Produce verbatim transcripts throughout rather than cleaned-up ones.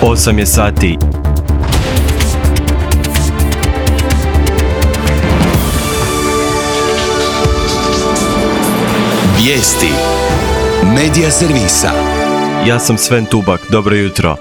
osam je sati. Vijesti Medija servisa. Ja sam Sven Tubak, dobro jutro.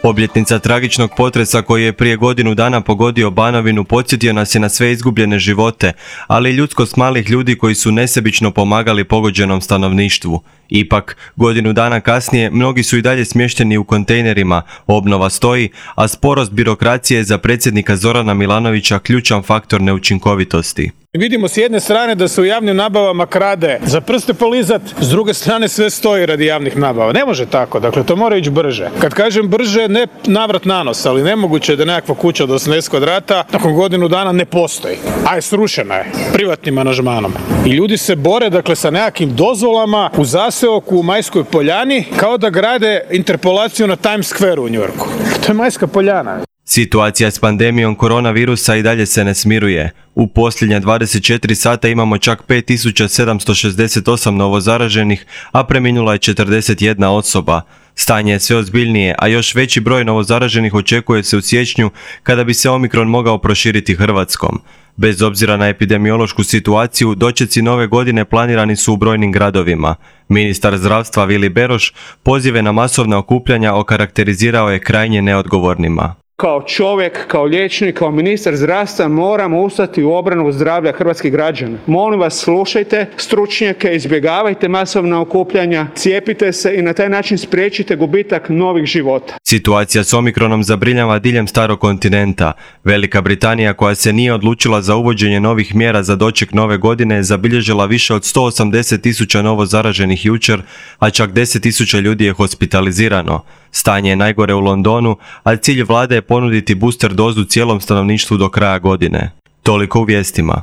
Obljetnica tragičnog potresa koji je prije godinu dana pogodio Banovinu podsjetio nas je na sve izgubljene živote, ali i ljudskost malih ljudi koji su nesebično pomagali pogođenom stanovništvu. Ipak, godinu dana kasnije, mnogi su i dalje smješteni u kontejnerima, obnova stoji, a sporost birokracije je za predsjednika Zorana Milanovića ključan faktor neučinkovitosti. Vidimo s jedne strane da se u javnim nabavama krade za prste polizat, s druge strane sve stoji radi javnih nabava. Ne može tako, dakle to mora ići brže. Kad kažem brže, ne navrat na nos, ali nemoguće je da nekakva kuća od osamdeset kvadrata nakon godinu dana ne postoji. A je srušena je, privatnim aranžmanom. I ljudi se bore, dakle, sa nekakvim dozvolama u zaseoku u Majskoj Poljani, kao da grade interpolaciju na Times Square u New Yorku. To je Majska Poljana. Situacija s pandemijom koronavirusa i dalje se ne smiruje. U posljednja dvadeset četiri sata imamo čak pet tisuća sedamsto šezdeset osam novozaraženih, a preminula je četrdeset jedna osoba. Stanje je sve ozbiljnije, a još veći broj novozaraženih očekuje se u siječnju kada bi se Omikron mogao proširiti Hrvatskom. Bez obzira na epidemiološku situaciju, dočeci nove godine planirani su u brojnim gradovima. Ministar zdravstva Vili Beroš pozive na masovna okupljanja okarakterizirao je krajnje neodgovornima. Kao čovjek, kao liječnik, kao ministar zdravstva moramo ustati u obranu zdravlja hrvatskih građana. Molim vas, slušajte stručnjake, izbjegavajte masovna okupljanja, cijepite se i na taj način spriječite gubitak novih života. Situacija s Omikronom zabrinjava diljem starog kontinenta. Velika Britanija, koja se nije odlučila za uvođenje novih mjera za doček nove godine, je zabilježila više od sto osamdeset tisuća novo zaraženih jučer, a čak deset tisuća ljudi je hospitalizirano. Stanje je najgore u Londonu, a cilj vlade je ponuditi booster dozu cijelom stanovništvu do kraja godine. Toliko u vijestima.